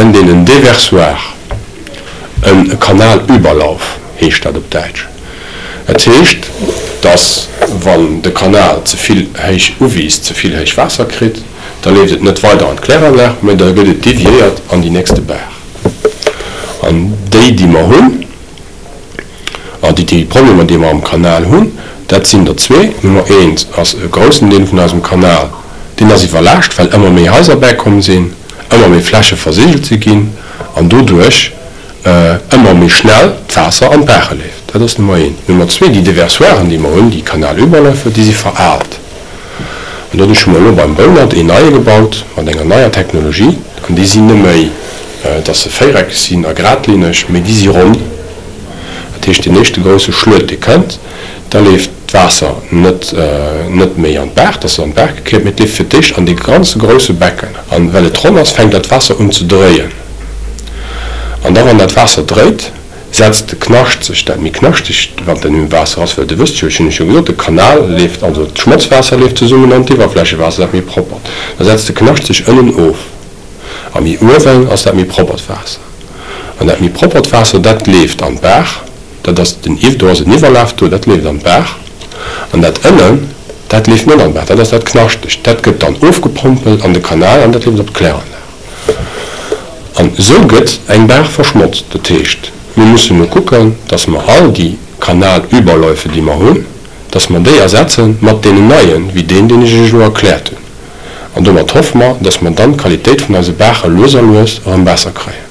Nennt een en Déversoir, e Kanalüberlauf heescht dat op Däitsch. Dat heescht, datt wann de Kanal ze vill héich uwiisst, ze vill héich Waasser kritt, da leeft et net weider an d'Kläranlag, mä da gëtt et deviéiert an déi nächste Baach. An déi, déi mer hunn, an déi déi Problemer, déi mer am Kanal hunn, dat sinn der zwee. Nummer eent ass e groussen Deel vun eisem Kanal, deen ass iwwerlaascht, well ëmmer méi Haiser bäikomm sinn, ëmmer méi Fläche versigelt si ginn an doduerch ëmmer méi schnell d'Waasser an d'Baache leeft. Dat ass Nummer eent. Nummer zwee, déi Déversoiren, déi mer hunn, déi Kanalüberläufe, déi si veraalt. An doduerch hu mer elo beim Bounert een neie gebaut mat enger neier Technologie. An déi sinn net méi, dass se véiereckeg sinn a gradlinneg, mee déi si ronn. Dat heescht, deen éischte grousse Schluet, dee kënnt, da leeft d'Waasser net net méi an d'Baach, dass et an d'Baach gekéiert, mee et leeft fir d'éischt an dee ganze grousse Becken. An well et ronn ass, fänkt dat Waasser un ze dréien. An da wann dat Waasser dréit, setzt de Knascht sech, dat méi knaschtegt, wat dann um Waasser ass, well Dir wësst jo, ech hunn lech jo gesot, de Kanal leeft, also d'Schmotzwaasser leeft zesummen an d'Iwwerflächewaasser, dat méi proppert, da setzt de Knascht sech ënnen of a méi uewen ass dat méi proppert Waasser. An dat méi proppert Waasser, dat leeft an d'Baach, dat ass den, do ass en Iwwerlaf do, dat leeft an d'Baach. An dat ënnen, dat leeft net an d'Baach, dat ass dat knaschtegt, dat gëtt dann ofgepompelt an de Kanal an dat leeft op d'Kläranlag. An esou gëtt eng Baach verschmotzt. Dat heescht, mir mussen elo kucken, dass mer all déi Kanalüberläufe, déi mer hunn, dass mer déi ersetze mat deenen neien, wéi deen, deen ech Iech elo erkläert hunn. An domat hoffe mer, dass mer dann d'Qualitéit vun eise Baache lues a lues erëm besser kréien.